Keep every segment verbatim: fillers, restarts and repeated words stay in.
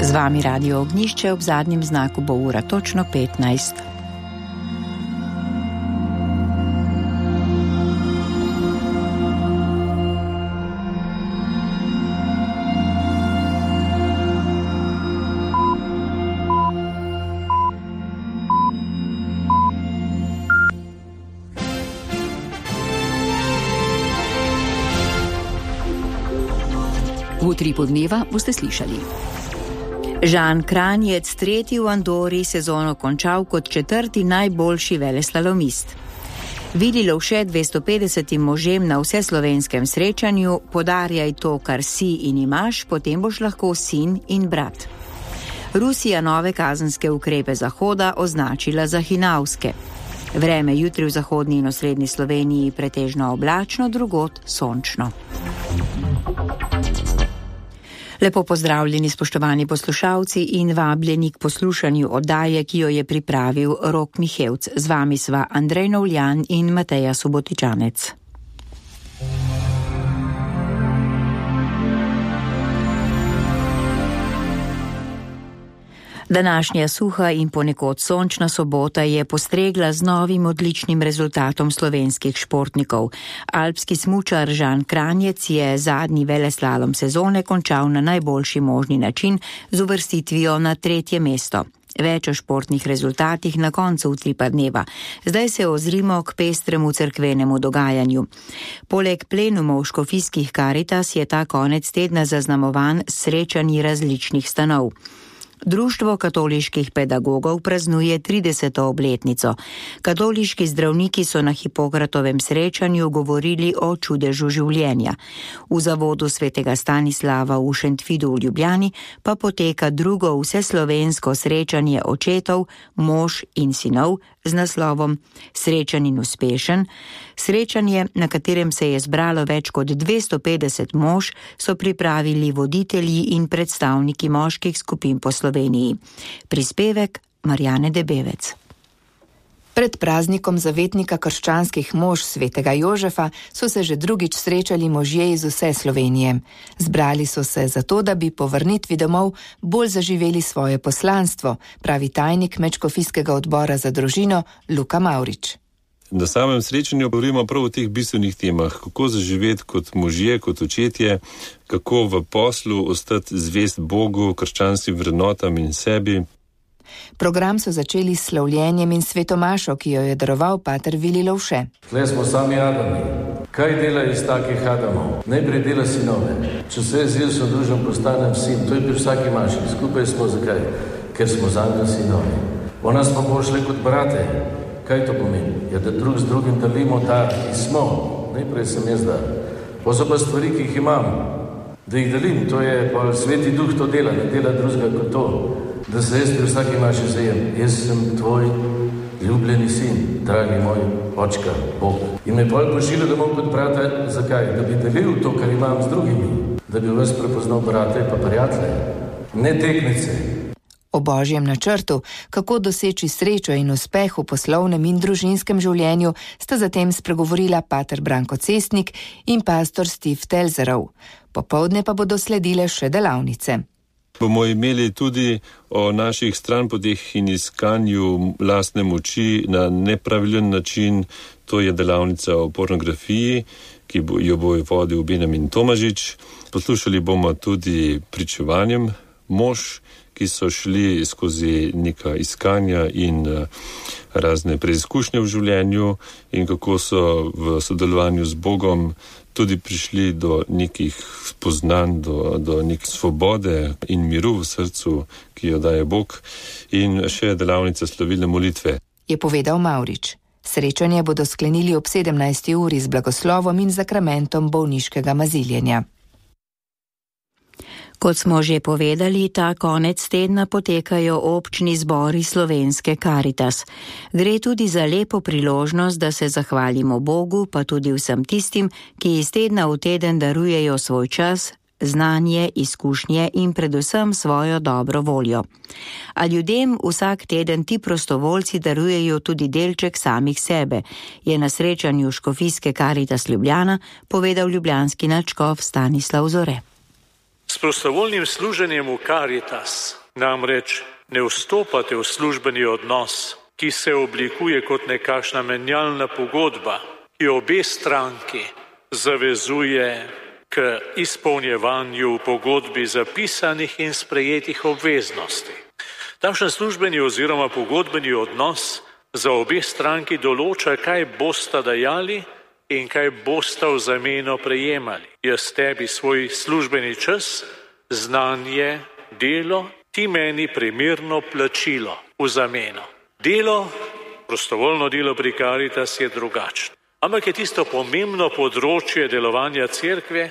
Z vami Radio Ognjišče, ob zadnjem znaku bo ura točno petnajst. V Utripu dneva boste slišali. Žan Kranjec, tretji v Andori, sezono končal kot četrti najboljši veleslalomist. Vili Lovše dvesto petdesetim možem na vseslovenskem srečanju: podarjaj to, kar si in imaš, potem boš lahko sin in brat. Rusija nove kazenske ukrepe Zahoda označila za hinavske. Vreme jutri v zahodni in osrednji Sloveniji pretežno oblačno, drugod sončno. Lepo pozdravljeni, spoštovani poslušalci, in vabljeni k poslušanju oddaje, ki jo je pripravil Rok Mihevc. Z vami sva Andrej Novljan in Mateja Subotičanec. Današnja suha in ponekod sončna sobota je postregla z novim odličnim rezultatom slovenskih športnikov. Alpski smučar Žan Kranjec je zadnji veleslalom sezone končal na najboljši možni način z uvrstitvijo na tretje mesto. Več o športnih rezultatih na koncu Utripa dneva. Zdaj se ozrimo k pestremu cerkvenemu dogajanju. Poleg plenumov škofijskih Karitas je ta konec tedna zaznamovan s srečanji različnih stanov. Društvo katoliških pedagogov praznuje trideseto obletnico. Katoliški zdravniki so na Hipokratovem srečanju govorili o čudežu življenja. V zavodu svetega Stanislava v Šentvidu v Ljubljani pa poteka drugo vseslovensko srečanje očetov, mož in sinov z naslovom Srečan in uspešen. Srečanje, na katerem se je zbralo več kot dvesto petdeset mož, so pripravili voditelji in predstavniki moških skupin po Sloveniji. Prispevek Marjane Debevec. Pred praznikom zavetnika krščanskih mož svetega Jožefa so se že drugič srečali možje iz vse Slovenije. Zbrali so se zato, da bi po vrnitvi domov bolj zaživeli svoje poslanstvo, pravi tajnik Medškofijskega odbora za družino Luka Mavrič. Na samem srečanju govorimo prav o teh bistvenih temah, kako zaživeti kot možje, kot očetje, kako v poslu ostati zvest Bogu, krščanskim vrednotam in sebi. Program so začeli s slavljenjem in svetomašo, ki jo je daroval pater Vili Lovše. Tle smo sami Adami. Kaj dela iz takih Adamov? Najprej dela sinove. Če se jaz jaz odružim, postanem sin. To je pri vsaki maši. Skupaj smo zakaj? Ker smo zanjo sinovi. Ona smo pošli kot brate. Kaj to pomeni? Je, da drug z drugim delimo dar, ki smo. Najprej sem jaz dar. Pa so pa stvari, ki jih imam. Da jih delim, to je pa Sveti Duh to dela, ne dela drugega kot to. Da se jaz pri vsaki maši zajem. Jaz sem tvoj ljubljeni sin, dragi moj očka, Bog. In me pol pošilja domov kot brate, zakaj? Da bi delil to, kar imam z drugimi. Da bi vas prepoznal brate pa prijatelje, ne teknice. O božjem načrtu, kako doseči srečo in uspeh v poslovnem in družinskem življenju, sta zatem spregovorila pater Branko Cestnik in pastor Steve Telzerov. Popoldne pa bodo sledile še delavnice. Bomo imeli tudi o naših stranpoteh in iskanju lastne moči na nepravilen način. To je delavnica o pornografiji, ki bo, jo bo vodil Benjamin Tomažič. Poslušali bomo tudi pričevanjem mož, ki so šli skozi neka iskanja in razne preizkušnje v življenju in kako so v sodelovanju z Bogom tudi prišli do nekih spoznanj, do, do neke svobode in miru v srcu, ki jo daje Bog, in še delavnica slovilne molitve. Je povedal Mavrič. Srečanje bodo sklenili ob sedemnajsti uri z blagoslovom in zakramentom bolniškega maziljenja. Kot smo že povedali, ta konec tedna potekajo občni zbori slovenske Karitas. Gre tudi za lepo priložnost, da se zahvalimo Bogu, pa tudi vsem tistim, ki iz tedna v teden darujejo svoj čas, znanje, izkušnje in predvsem svojo dobro voljo. A ljudem vsak teden ti prostovoljci darujejo tudi delček samih sebe, je na srečanju škofijske Karitas Ljubljana povedal ljubljanski nadškof Stanislav Zore. S prostovoljnim služenjem v Caritas namreč ne vstopate v službeni odnos, ki se oblikuje kot nekakšna menjalna pogodba, ki obe stranki zavezuje k izpolnjevanju v pogodbi zapisanih in sprejetih obveznosti. Takšen službeni oziroma pogodbeni odnos za obe stranki določa, kaj bosta dajali in kaj bosta v zameno prejemali. Jaz tebi svoj službeni čas, znanje, delo, ti meni primerno plačilo v zameno. Delo, prostovoljno delo pri Caritas je drugačno. Ampak je tisto pomembno področje delovanja cerkve,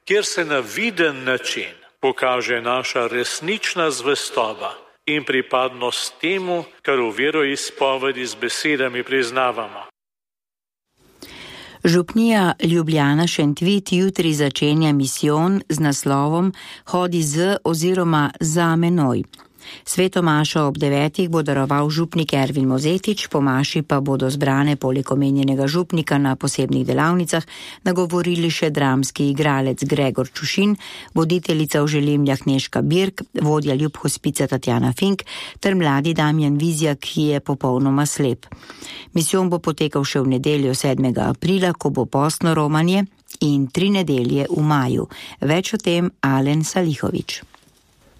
kjer se na viden način pokaže naša resnična zvestoba in pripadnost temu, kar v veroizpovedi z besedami priznavamo. Župnija Ljubljana Šentvid jutri začenja misijon z naslovom Hodi z oziroma za menoj. Sveto mašo ob devetih bo daroval župnik Ervin Mozetič, po maši pa bodo zbrane poleg omenjenega župnika na posebnih delavnicah nagovorili še dramski igralec Gregor Čušin, voditeljica v Želimljah Nežka Birk, vodja Ljub hospica Tatjana Fink ter mladi Damjan Vizjak, ki je popolnoma slep. Misijon bo potekal še v nedeljo sedmega aprila, ko bo postno romanje, in tri nedelje v maju. Več o tem Alen Salihovič.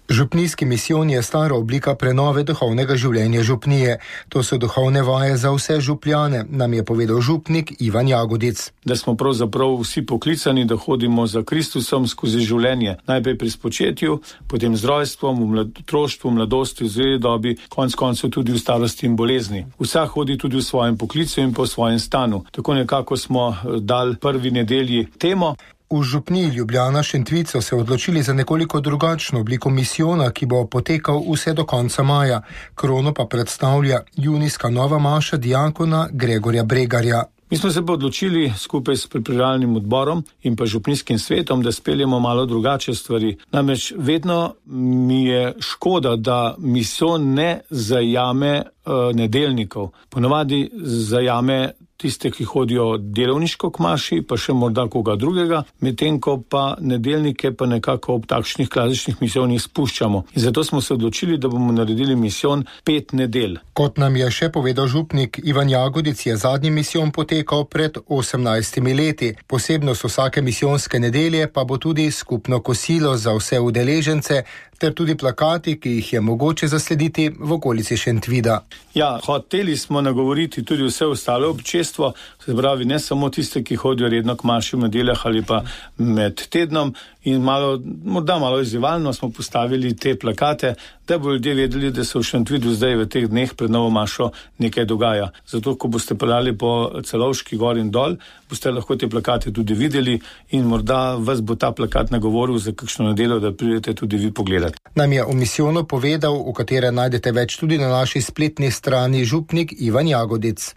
Župnijski misijon je stara oblika prenove duhovnega življenja župnije. To so duhovne vaje za vse župljane, nam je povedal župnik Ivan Jagodic. Da smo pravzaprav vsi poklicani, da hodimo za Kristusom skozi življenje. Najprej pri spočetju, potem z rojstvom, v otroštvu, mladosti, v zreli dobi, konec koncev tudi v starosti in bolezni. Vsak hodi tudi v svojem poklicu in po svojem stanu. Tako nekako smo dali prvi nedelji temo. V župniji Ljubljana Šentvid so se odločili za nekoliko drugačno obliko misijona, ki bo potekal vse do konca maja. Krono pa predstavlja junijska nova maša diakona Gregorja Bregarja. Mi smo se pa odločili skupaj s pripravljalnim odborom in pa župnijskim svetom, da speljemo malo drugače stvari. Namreč vedno mi je škoda, da misijon ne zajame uh, nedeljnikov. Ponavadi zajame tiste, ki hodijo delovniško k maši, pa še morda koga drugega, medtem ko pa nedeljnike pa nekako ob takšnih klasičnih misijonih spuščamo. In zato smo se odločili, da bomo naredili misijon pet nedelj. Kot nam je še povedal župnik Ivan Jagodic, je zadnji misijon potekal pred osemnajstimi leti. Posebnost vsake misijonske nedelje pa bo tudi skupno kosilo za vse udeležence, ter tudi plakati, ki jih je mogoče zaslediti v okolici Šentvida. Ja, hoteli smo nagovoriti tudi vse ostale občestvo, se pravi ne samo tiste, ki hodijo redno k maši v nedeljah ali pa med tednom, in malo, morda malo izzivalno smo postavili te plakate, da bo ljudje vedeli, da se v Šentvidu zdaj v teh dneh pred novo mašo nekaj dogaja. Zato, ko boste peljali po Celovški gor in dol, boste lahko te plakate tudi videli in morda vas bo ta plakat nagovoril za kakšno nedeljo, da pridete tudi vi pogledati. Nam je o misijonu povedal, v katere najdete več tudi na naši spletni strani, župnik Ivan Jagodic.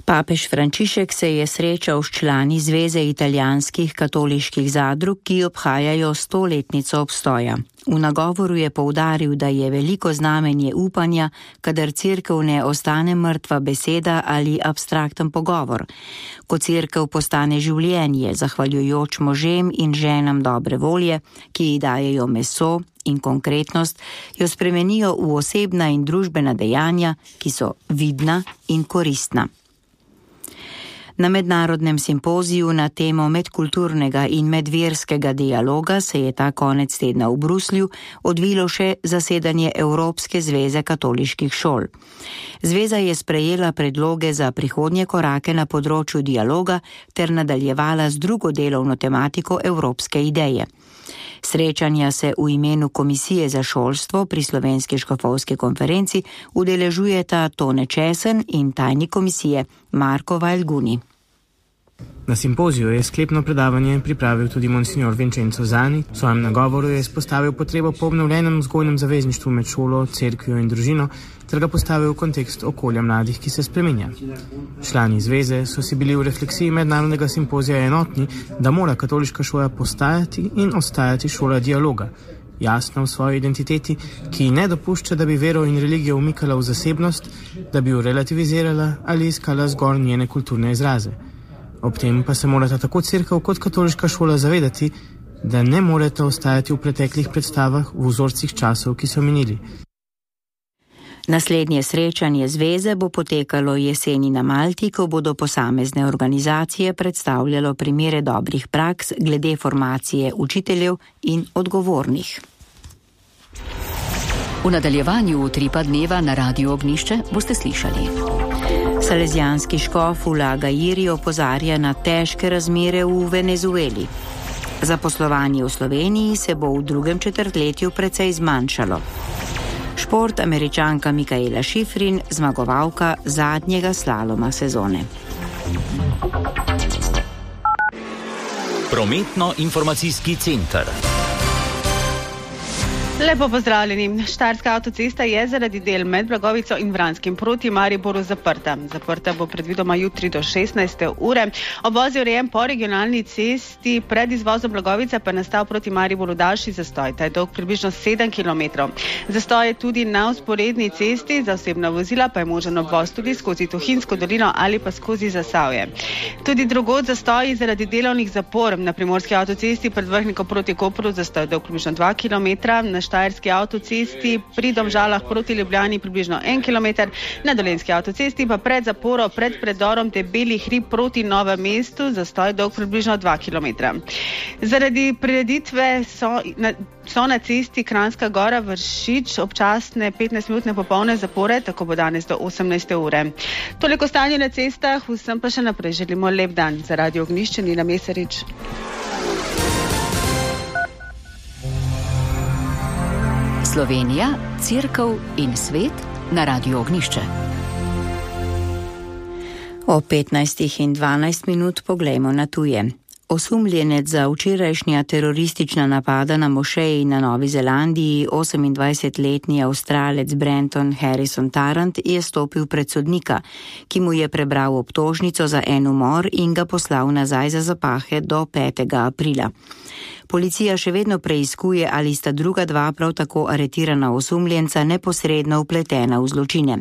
Papež Frančišek se je srečal s člani Zveze italijanskih katoliških zadrug, ki obhajajo stoletnico obstoja. V nagovoru je poudaril, da je veliko znamenje upanja, kadar cerkev ne ostane mrtva beseda ali abstrakten pogovor. Ko cerkev postane življenje, zahvaljujoč možem in ženam dobre volje, ki ji dajejo meso in konkretnost, jo spremenijo v osebna in družbena dejanja, ki so vidna in koristna. Na mednarodnem simpoziju na temo medkulturnega in medverskega dialoga se je ta konec tedna v Bruslju odvilo še zasedanje Evropske zveze katoliških šol. Zveza je sprejela predloge za prihodnje korake na področju dialoga ter nadaljevala z drugo delovno tematiko evropske ideje. Srečanja se v imenu Komisije za šolstvo pri Slovenski škofovski konferenci udeležujeta Tone Česen in tajnik komisije Marko Valjguni. Na simpoziju je sklepno predavanje pripravil tudi monsignor Vincenzo Zani. V svojem nagovoru je izpostavil potrebo po obnovljenem vzgojnem zavezništvu med šolo, cerkvijo in družino, ter ga postavil v kontekst okolja mladih, ki se spreminja. Člani zveze so si bili v refleksiji mednarodnega simpozija enotni, da mora katoliška šola postajati in ostajati šola dialoga, jasna v svoji identiteti, ki ne dopušča, da bi vero in religijo umikala v zasebnost, da bi jo relativizirala ali iskala zgolj njene kulturne izraze. Ob tem pa se morata tako cerkev kot katoliška šola zavedati, da ne morete ostajati v preteklih predstavah v vzorcih časov, ki so minili. Naslednje srečanje zveze bo potekalo jeseni na Malti, ko bodo posamezne organizacije predstavljalo primere dobrih praks glede formacije učiteljev in odgovornih. V nadaljevanju utripa dneva na Radiu Ognjišče boste slišali. Salezijanski škof Ulaga Iri opozarja na težke razmere v Venezueli. Zaposlovanje v Sloveniji se bo v drugem četrtletju precej zmanjšalo. Šport Američanka Mikaela Šifrin, zmagovalka zadnjega slaloma sezone. Prometno-informacijski center. Lepo pozdravljeni. Štajerska avtocesta je zaradi del med Blagovico in Vranskim proti Mariboru zaprta. Zaprta bo predvidoma jutri do šestnajste ure. Obvoz je urejen po regionalni cesti, pred izvozom Blagovica pa je nastal proti Mariboru daljši zastoj. Ta je dolg približno sedem kilometrov. Zastoj je tudi na vzporedni cesti, za osebna vozila pa je možen obvoz tudi skozi Tuhinjsko dolino ali pa skozi Zasavje. Tudi drugod zastoji zaradi delovnih zapor. Na primorski avtocesti pred Vrhnikom proti Kopru zastoj dolg približno dva kilometra, na Štajerski avtocesti pri Domžalah proti Ljubljani približno en kilometer, na Dolenjski avtocesti pa pred zaporo pred predorom Debeli hrib proti Novem mestu zastoj dolg približno dva kilometra. Zaradi prireditve so na, so na cesti Kranjska Gora Vršič občasne petnajstminutne popolne zapore, tako bo danes do osemnajste ure. Toliko stanje na cestah, vsem pa še naprej želimo lep dan. Za Radio Ognjišče Nina Mesarič. Slovenija, Cerkev in svet na Radiu Ognjišče. O petnajstih in dvanajst minut poglejmo na tuje. Osumljenec za včerajšnja teroristična napada na mošeji na Novi Zelandiji, osemindvajsetletni Avstralec Brenton Harrison Tarrant, je stopil pred sodnika, ki mu je prebral obtožnico za en umor in ga poslal nazaj za zapahe do petega aprila. Policija še vedno preiskuje, ali sta druga dva prav tako aretirana osumljenca neposredno vpletena v zločine.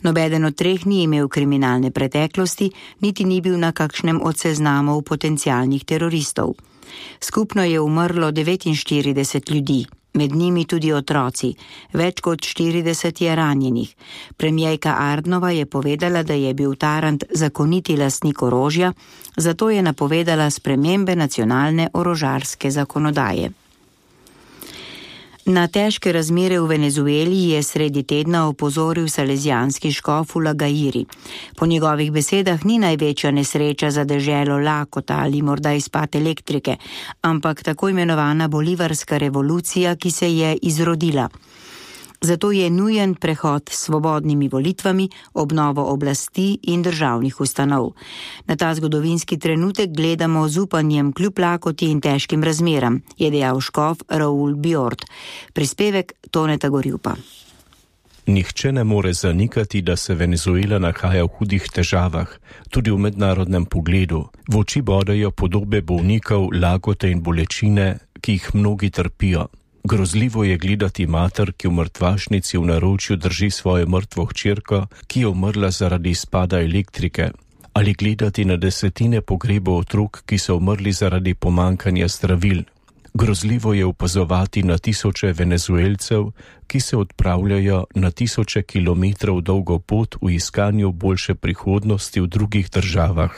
Nobeden od treh ni imel kriminalne preteklosti, niti ni bil na kakšnem od seznamov potencialnih teroristov. Skupno je umrlo devetinštirideset ljudi, med njimi tudi otroci, več kot štirideset je ranjenih. Premijerka Ardnova je povedala, da je bil Tarrant zakoniti lastnik orožja, zato je napovedala spremembe nacionalne orožarske zakonodaje. Na težke razmere v Venezueli je sredi tedna opozoril salezijanski škof Ulaga Iri. Po njegovih besedah ni največja nesreča za deželo lakota ali morda izpad elektrike, ampak tako imenovana bolivarska revolucija, ki se je izrodila. Zato je nujen prehod s svobodnimi volitvami, obnovo oblasti in državnih ustanov. Na ta zgodovinski trenutek gledamo z upanjem kljub lakoti in težkim razmeram, je dejal škof Raul Bjord. Prispevek Toneta Gorjupa. Nihče ne more zanikati, da se Venezuela nahaja v hudih težavah, tudi v mednarodnem pogledu. V oči bodejo podobe bolnikov, lakote in bolečine, ki jih mnogi trpijo. Grozljivo je gledati mater, ki v mrtvašnici v naročju drži svojo mrtvo hčerko, ki je umrla zaradi izpada elektrike, ali gledati na desetine pogrebov otrok, ki so umrli zaradi pomankanja zdravil. Grozljivo je opazovati na tisoče Venezuelcev, ki se odpravljajo na tisoče kilometrov dolgo pot v iskanju boljše prihodnosti v drugih državah.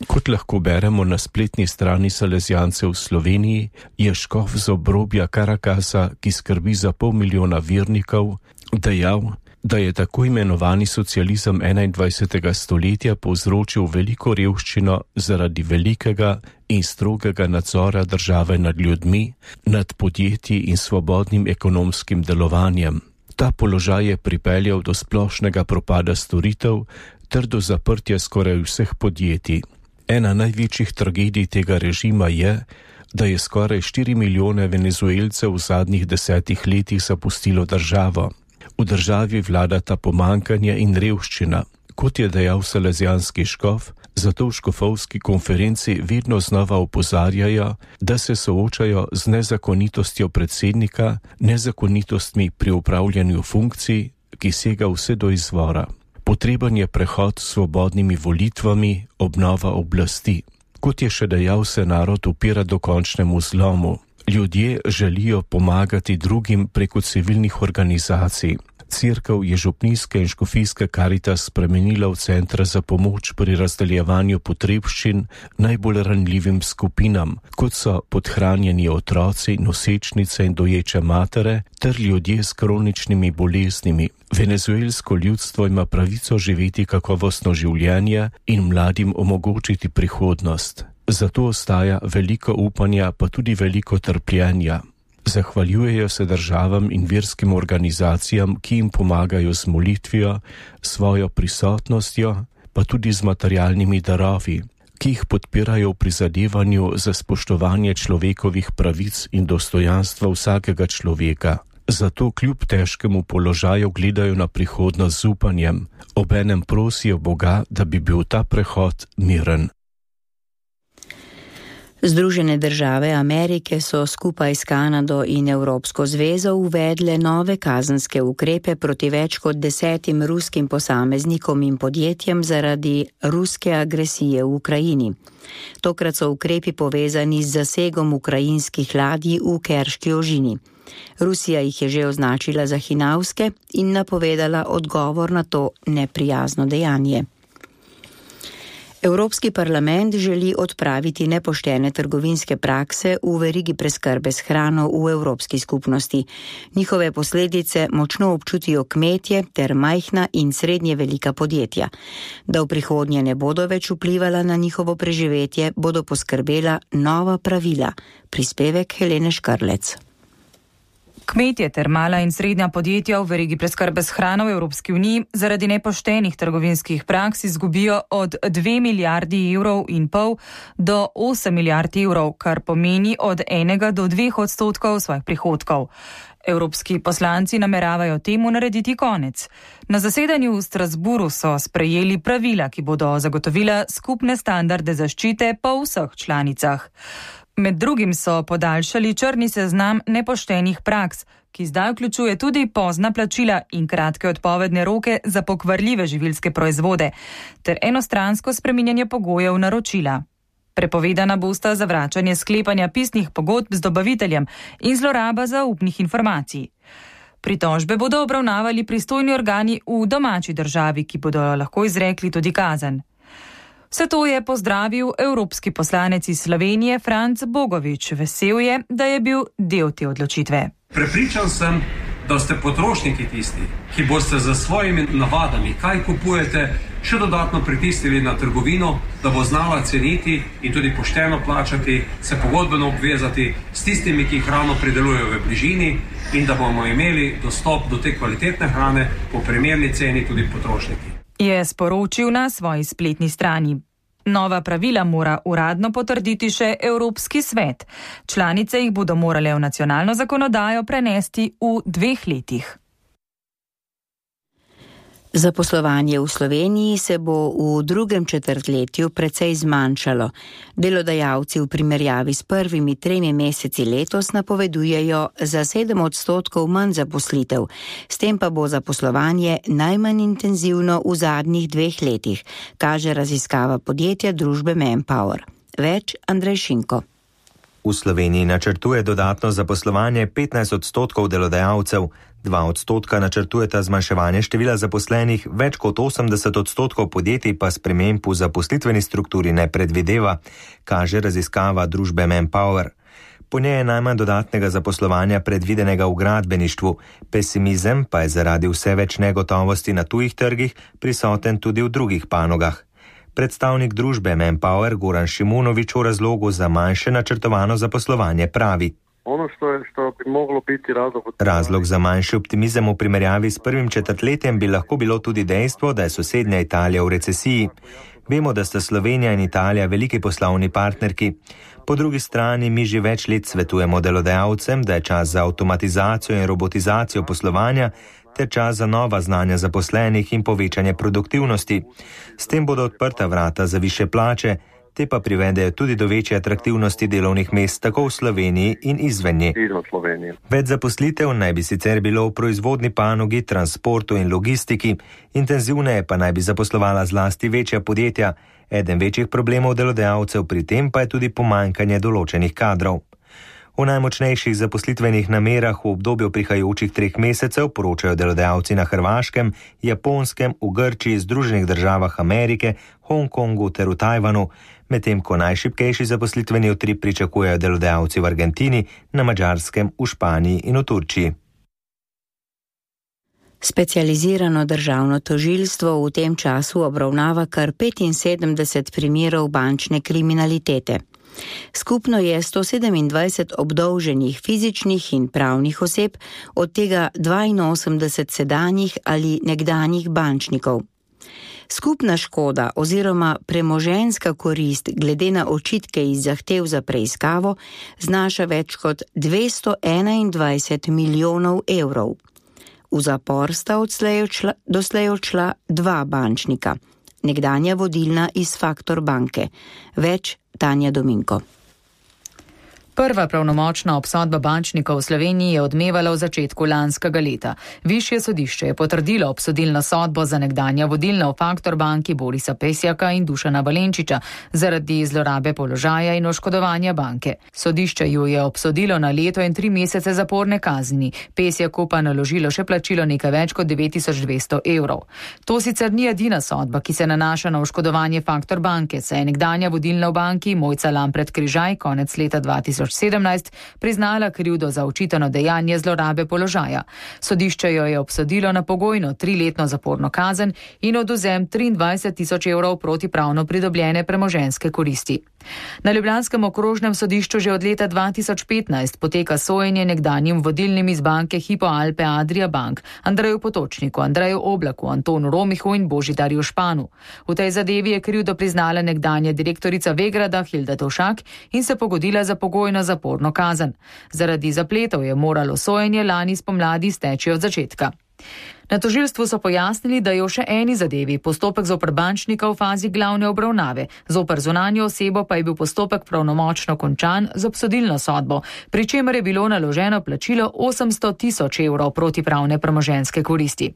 Kot lahko beremo na spletni strani Salezijancev v Sloveniji, je škof z obrobja Karakasa, ki skrbi za pol milijona vernikov, dejal, da je tako imenovani socializem enaindvajsetega stoletja povzročil veliko revščino zaradi velikega in strogega nadzora države nad ljudmi, nad podjetji in svobodnim ekonomskim delovanjem. Ta položaj je pripeljal do splošnega propada storitev ter do zaprtja skoraj vseh podjetij. Ena največjih tragedij tega režima je, da je skoraj štiri milijone Venezuelcev v zadnjih desetih letih zapustilo državo. V državi vladata pomankanje in revščina. Kot je dejal salezijanski škof, zato v škofovski konferenci vedno znova opozarjajo, da se soočajo z nezakonitostjo predsednika, nezakonitostmi pri upravljanju funkcij, ki sega vse do izvora. Potreben je prehod s svobodnimi volitvami, obnova oblasti. Kot je še dejal, se narod upira dokončnemu zlomu. Ljudje želijo pomagati drugim preko civilnih organizacij. Cerkev je župnijske in škofijske Karitas spremenila v centre za pomoč pri razdeljevanju potrebščin najbolj ranljivim skupinam, kot so podhranjeni otroci, nosečnice in doječe matere ter ljudje s kroničnimi boleznimi. Venezuelsko ljudstvo ima pravico živeti kakovostno življenje in mladim omogočiti prihodnost. Zato ostaja veliko upanja, pa tudi veliko trpljenja. Zahvaljujejo se državam in verskim organizacijam, ki jim pomagajo z molitvijo, svojo prisotnostjo, pa tudi z materialnimi darovi, ki jih podpirajo v prizadevanju za spoštovanje človekovih pravic in dostojanstva vsakega človeka. Zato kljub težkemu položaju gledajo na prihodnost z upanjem, obenem prosijo Boga, da bi bil ta prehod miren. Združene države Amerike so skupaj s Kanado in Evropsko zvezo uvedle nove kazenske ukrepe proti več kot desetim ruskim posameznikom in podjetjem zaradi ruske agresije v Ukrajini. Tokrat so ukrepi povezani z zasegom ukrajinskih ladij v Kerški ožini. Rusija jih je že označila za hinavske in napovedala odgovor na to neprijazno dejanje. Evropski parlament želi odpraviti nepoštene trgovinske prakse v verigi preskrbe s hrano v Evropski skupnosti. Njihove posledice močno občutijo kmetje ter majhna in srednje velika podjetja. Da v prihodnje ne bodo več vplivala na njihovo preživetje, bodo poskrbela nova pravila. Prispevek Helene Škrlec. Kmetje ter mala in srednja podjetja v verigi preskrbe s hrano v Evropski uniji zaradi nepoštenih trgovinskih praks izgubijo od dve milijardi evrov in pol do osem milijard evrov, kar pomeni od enega do dveh odstotkov svojih prihodkov. Evropski poslanci nameravajo temu narediti konec. Na zasedanju v Strasburu so sprejeli pravila, ki bodo zagotovila skupne standarde zaščite po vseh članicah. Med drugim so podaljšali črni seznam nepoštenih praks, ki zdaj vključuje tudi pozna plačila in kratke odpovedne roke za pokvarljive živilske proizvode, ter enostransko spreminjanje pogojev naročila. Prepovedana bosta zavračanje sklepanja pisnih pogodb z dobaviteljem in zloraba zaupnih informacij. Pritožbe bodo obravnavali pristojni organi v domači državi, ki bodo lahko izrekli tudi kazen. Vse to je pozdravil evropski poslanec iz Slovenije Franc Bogovič. Vesel je, da je bil del te odločitve. Prepričan sem, da ste potrošniki tisti, ki boste za svojimi navadami, kaj kupujete, še dodatno pritisnili na trgovino, da bo znala ceniti in tudi pošteno plačati, se pogodbeno obvezati s tistimi, ki hrano pridelujejo v bližini in da bomo imeli dostop do te kvalitetne hrane po primerni ceni tudi potrošniki. Je sporočil na svoji spletni strani. Nova pravila mora uradno potrditi še Evropski svet. Članice jih bodo morale v nacionalno zakonodajo prenesti v dveh letih. Zaposlovanje v Sloveniji se bo v drugem četrtletju precej zmanjšalo. Delodajalci v primerjavi s prvimi tremi meseci letos napovedujejo za sedem odstotkov manj zaposlitev. S tem pa bo zaposlovanje najmanj intenzivno v zadnjih dveh letih, kaže raziskava podjetja družbe Manpower. Več Andrej Šinko. V Sloveniji načrtuje dodatno zaposlovanje petnajst odstotkov delodajalcev, dva odstotka načrtujeta zmanjševanje števila zaposlenih, več kot osemdeset odstotkov podjetij pa sprememb v zaposlitveni strukturi ne predvideva, kaže raziskava družbe Manpower. Po njej je najmanj dodatnega zaposlovanja predvidenega v gradbeništvu, pesimizem pa je zaradi vse več negotovosti na tujih trgih prisoten tudi v drugih panogah. Predstavnik družbe Manpower Goran Šimunović o razlogu za manjše načrtovano zaposlovanje pravi. Ono što je, što bi moglo biti razlog... Razlog za manjši optimizem v primerjavi s prvim četrtletjem bi lahko bilo tudi dejstvo, da je sosednja Italija v recesiji. Vemo, da sta Slovenija in Italija veliki poslovni partnerki. Po drugi strani mi že več let svetujemo delodajalcem, da je čas za avtomatizacijo in robotizacijo poslovanja ter čas za nova znanja zaposlenih in povečanje produktivnosti. S tem bodo odprta vrata za više plače, te pa privedejo tudi do večje atraktivnosti delovnih mest tako v Sloveniji in izven nje. Več zaposlitev naj bi sicer bilo v proizvodni panogi, transportu in logistiki, intenzivneje pa naj bi zaposlovala zlasti večja podjetja. Eden večjih problemov delodajalcev pri tem pa je tudi pomanjkanje določenih kadrov. O najmočnejših zaposlitvenih namerah v obdobju prihajajočih treh mesecev poročajo delodajalci na Hrvaškem, Japonskem, v Grčiji, Združenih državah Amerike, Hongkongu ter v Tajvanu, medtem ko najšibkejši zaposlitveni utrip pričakujejo delodajalci v Argentini, na Madžarskem, v Španiji in v Turčiji. Specializirano državno tožilstvo v tem času obravnava kar petinsedemdeset primerov bančne kriminalitete. Skupno je sto sedemindvajset obdolženih fizičnih in pravnih oseb, od tega dvainosemdeset sedanjih ali nekdanjih bančnikov. Skupna škoda oziroma premoženjska korist glede na očitke iz zahtev za preiskavo znaša več kot dvesto enaindvajset milijonov evrov. V zapor sta odslej odšla, doslej odšla dva bančnika, nekdanja vodilna iz Faktor banke. Več Tanja Dominko. Prva pravnomočna obsodba bančnikov v Sloveniji je odmevala v začetku lanskega leta. Višje sodišče je potrdilo obsodilno sodbo za nekdanja vodilna v Faktor banki Borisa Pesjaka in Dušana Valenčiča zaradi zlorabe položaja in oškodovanja banke. Sodišče ju je obsodilo na leto in tri mesece zaporne kazni. Pesjaku pa naložilo še plačilo nekaj več kot devet tisoč dvesto evrov. To sicer ni edina sodba, ki se nanaša na oškodovanje Faktor banke, saj je nekdanja vodilna v banki Mojca Lampret Križaj konec leta dva tisoč sedemnajst priznala krivdo za očitano dejanje zlorabe položaja. Sodišče jo je obsodilo na pogojno triletno zaporno kazen in odvzem triindvajset tisoč evrov protipravno pridobljene premoženjske koristi. Na ljubljanskem okrožnem sodišču že od leta dva tisoč petnajst poteka sojenje nekdanjim vodilnim iz banke Hypo Alpe Adria Bank, Andreju Potočniku, Andreju Oblaku, Antonu Romihu in Božidarju Španu. V tej zadevi je krivdo priznala nekdanja direktorica Vegrada Hilda Tovšak in se pogodila za pogojno zaporno kazen. Zaradi zapletov je moralo sojenje lani spomladi steči od začetka. Na tožilstvu so pojasnili, da je v še eni zadevi postopek zoper bančnika v fazi glavne obravnave, zoper zunanjo osebo pa je bil postopek pravnomočno končan z obsodilno sodbo, pri čemer je bilo naloženo plačilo osemsto tisoč evrov protipravne premoženjske koristi.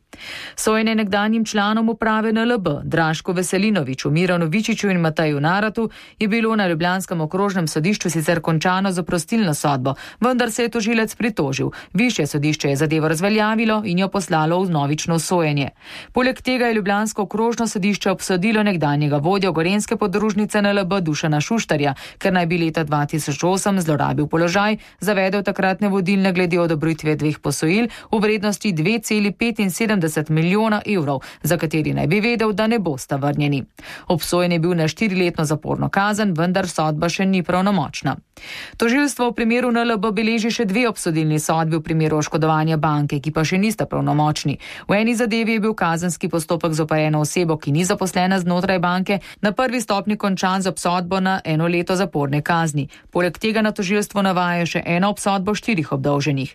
Sojenje nekdanjim članom uprave N L B, Dražku Veselinoviču, Miranu Vičiču in Mateju Naratu, je bilo na ljubljanskem okrožnem sodišču sicer končano z oprostilno sodbo, vendar se je tožilec pritožil. Višje sodišče je zadevo razveljavilo in jo poslalo v novično sojenje. Poleg tega je ljubljansko okrožno sodišče obsodilo nekdanjega vodjo gorenjske podružnice N L B Dušana Šuštarja, ker naj bi leta dva tisoč osem zlorabil položaj, zavedel takratne vodilne glede odobritve dveh posojil v vrednosti dve celi petinsedemdeset milijona evrov, za kateri naj bi vedel, da ne bosta vrnjeni. Obsojen je bil na štiriletno zaporno kazen, vendar sodba še ni pravnomočna. Tožilstvo v primeru N L B beleži še dve obsodilni sodbi v primeru oškodovanja banke, ki pa še nista pravnomočni. V eni zadevi je bil kazenski postopek zoper eno osebo, ki ni zaposlena znotraj banke, na prvi stopnji končan z obsodbo na eno leto zaporne kazni. Poleg tega na tožilstvo navaja še eno obsodbo štirih obdolženih.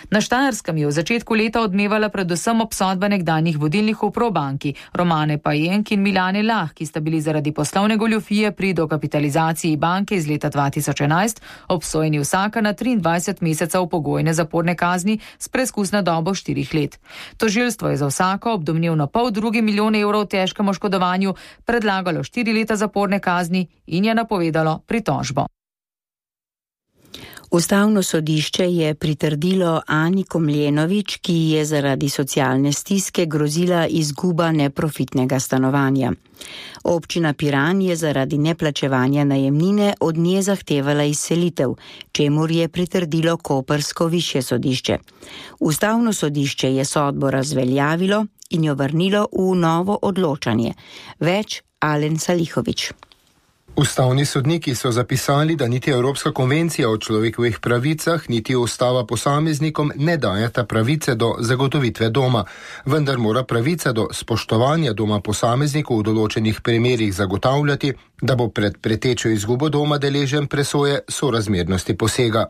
Na Štajerskem je v začetku leta odmevala predvsem obsodba nekdanjih vodilnih v Probanki, Romane Pajenk in Milane Lah, ki sta bili zaradi poslovne goljufije pri dokapitalizaciji banke iz leta dva tisoč enajst obsojeni vsaka na triindvajset mesecev pogojne zaporne kazni s preizkusno dobo štirih let. Tožilstvo je za vsako ob domnevno pol drugi milijon evrov težkem oškodovanju predlagalo štiri leta zaporne kazni in je napovedalo pritožbo. Ustavno sodišče je pritrdilo Ani Komljenovič, ki je zaradi socialne stiske grozila izguba neprofitnega stanovanja. Občina Piran je zaradi neplačevanja najemnine od nje zahtevala izselitev, čemur je pritrdilo koprsko višje sodišče. Ustavno sodišče je sodbo razveljavilo in jo vrnilo v novo odločanje. Več Alen Salihovič. Ustavni sodniki so zapisali, da niti Evropska konvencija o človekovih pravicah, niti ustava posameznikom ne dajeta pravice do zagotovitve doma, vendar mora pravica do spoštovanja doma posameznikov v določenih primerih zagotavljati, da bo pred pretečo izgubo doma deležen presoje sorazmernosti posega.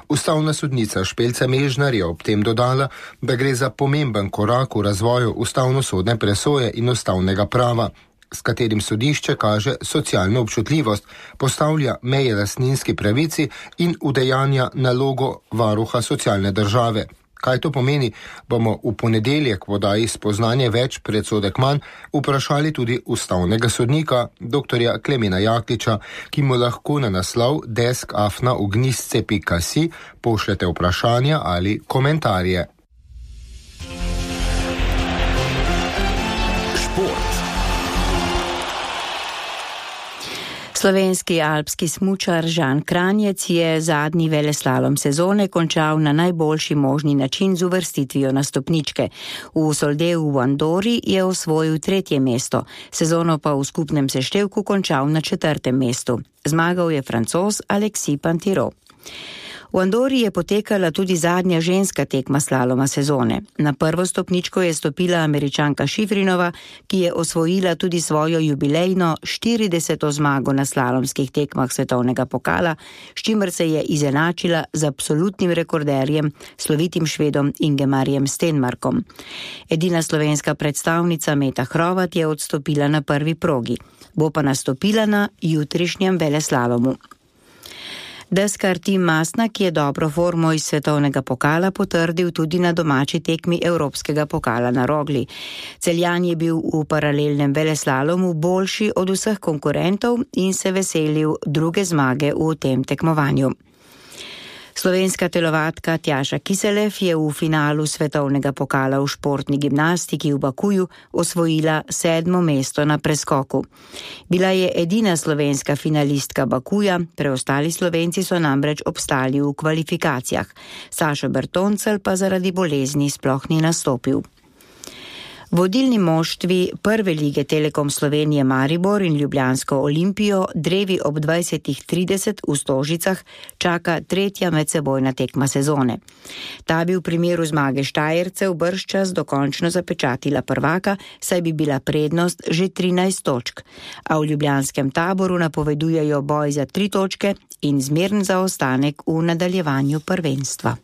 Ustavna sodnica Špelca Mežnar je ob tem dodala, da gre za pomemben korak v razvoju ustavnosodne presoje in ustavnega prava. s katerim sodišče kaže socialno občutljivost, postavlja meje lastninski pravici in udejanja nalogo varuha socialne države. Kaj to pomeni, bomo v ponedeljek v oddaji Spoznanje več predsodek manj vprašali tudi ustavnega sodnika, doktorja Klemena Jakliča, ki mu lahko na naslov desk afna ugnisce pika si pošljete vprašanja ali komentarje. Slovenski alpski smučar Žan Kranjec je zadnji veleslalom sezone končal na najboljši možni način z uvrstitvijo na stopničke. V Soldeu v Andori je osvojil tretje mesto, sezono pa v skupnem seštevku končal na četrtem mestu. Zmagal je Francoz Alexis Pinturault. V Andori je potekala tudi zadnja ženska tekma slaloma sezone. Na prvo stopničko je stopila Američanka Šifrinova, ki je osvojila tudi svojo jubilejno štirideseto zmago na slalomskih tekmah svetovnega pokala, s čimer se je izenačila z absolutnim rekorderjem, slovitim Švedom Ingemarjem Stenmarkom. Edina slovenska predstavnica Meta Hrovat je odstopila na prvi progi. Bo pa nastopila na jutrišnjem veleslalomu. Deskar Tim Masnak je dobro formo iz svetovnega pokala potrdil tudi na domači tekmi Evropskega pokala na Rogli. Celjan je bil v paralelnem veleslalomu boljši od vseh konkurentov in se veselil druge zmage v tem tekmovanju. Slovenska telovatka Tjaša Kiselev je v finalu svetovnega pokala v športni gimnastiki v Bakuju osvojila sedmo mesto na preskoku. Bila je edina slovenska finalistka Bakuja, preostali Slovenci so namreč obstali v kvalifikacijah. Sašo Bertoncel pa zaradi bolezni sploh ni nastopil. Vodilni moštvi prve lige Telekom Slovenije Maribor in Ljubljansko Olimpijo drevi ob dvajsetih trideset v Stožicah čaka tretja medsebojna tekma sezone. Ta bi v primeru zmage Štajercev bržčas dokončno zapečatila prvaka, saj bi bila prednost že trinajst točk, a v ljubljanskem Taboru napovedujejo boj za tri točke in zmeren zaostanek v nadaljevanju prvenstva.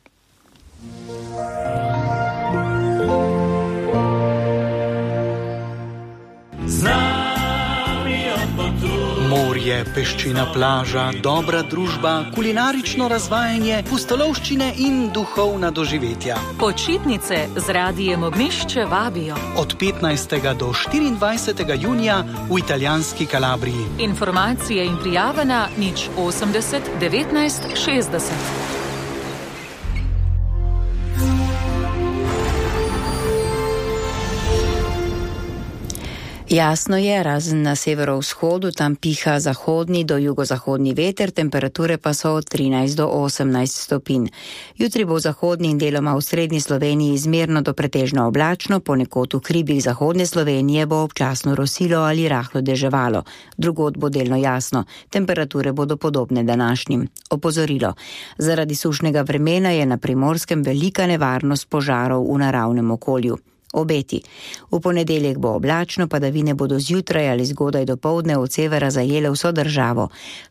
Morje, peščina plaža, dobra družba, kulinarično razvajanje, pustolovščine in duhovna doživetja. Počitnice z Radijem Ognjišče vabijo. Od petnajstega do štiriindvajsetega junija v italijanski Kalabriji. Informacije in prijave na nič osemdeset devetnajst šestdeset. Jasno je, razen na severovzhodu, tam piha zahodni do jugozahodni veter, temperature pa so od trinajst do osemnajst stopinj. Jutri bo v zahodni in deloma v srednji Sloveniji izmerno do pretežno oblačno, ponekod v hribih zahodne Slovenije bo občasno rosilo ali rahlo deževalo. Drugod bo delno jasno, temperature bodo podobne današnjim. Opozorilo. Zaradi sušnega vremena je na Primorskem velika nevarnost požarov v naravnem okolju. Obeti. V ponedeljek bo oblačno, padavine bodo zjutraj ali zgodaj dopoldne od severa zajele vso državo.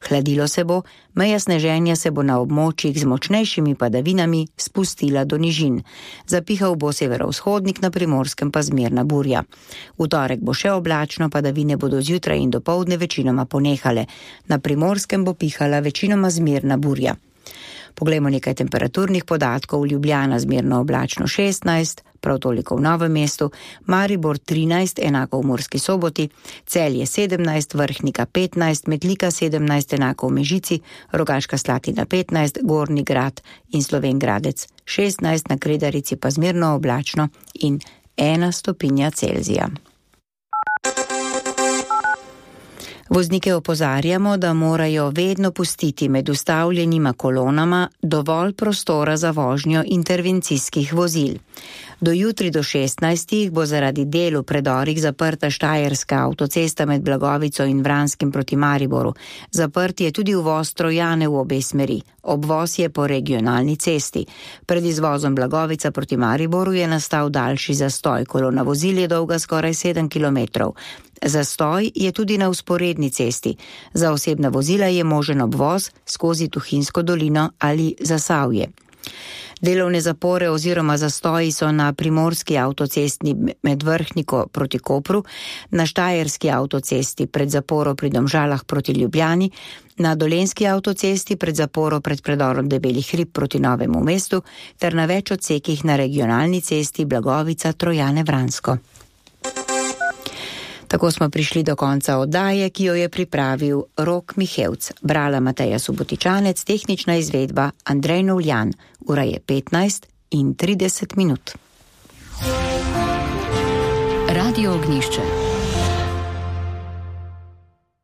Hladilo se bo, meja sneženja se bo na območjih z močnejšimi padavinami spustila do nižin. Zapihal bo severovzhodnik, na Primorskem pa zmerna burja. V torek bo še oblačno, padavine bodo zjutraj in dopoldne večinoma ponehale. Na Primorskem bo pihala večinoma zmerna burja. Poglejmo nekaj temperaturnih podatkov. Ljubljana zmerno oblačno šestnajst, prav toliko v Novem mestu, Maribor trinajst, enako v Murski Soboti, Celje sedemnajst, Vrhnika petnajst, Metlika sedemnajst, enako v Mežici, Rogaška Slatina petnajst, Gornji Grad in Slovenj Gradec šestnajst, na Kredarici pa zmerno oblačno in ena stopinja Celzija. Voznike opozarjamo, da morajo vedno pustiti med ustavljenima kolonama dovolj prostora za vožnjo intervencijskih vozil. Do jutri do šestnajstih bo zaradi del v predorih zaprta Štajerska avtocesta med Blagovico in Vranskim proti Mariboru. Zaprt je tudi uvoz Trojane v obe smeri. Obvoz je po regionalni cesti. Pred izvozom Blagovica proti Mariboru je nastal daljši zastoj. Kolona vozil je dolga skoraj sedem kilometrov. Zastoj je tudi na vzporedni cesti. Za osebna vozila je možen obvoz skozi Tuhinjsko dolino ali Zasavje. Delovne zapore oziroma zastoji so na primorski avtocesti med Vrhniko proti Kopru, na štajerski avtocesti pred zaporo pri Domžalah proti Ljubljani, na dolenski avtocesti pred zaporo pred predorom Debelih hrib proti Novemu mestu ter na več odsekih na regionalni cesti Blagovica Trojane Vransko. Tako smo prišli do konca oddaje, ki jo je pripravil Rok Mihevc, brala Mateja Subotičanec, tehnična izvedba Andrej Novljan. Ura je petnajst in trideset minut. Radio Ognišče.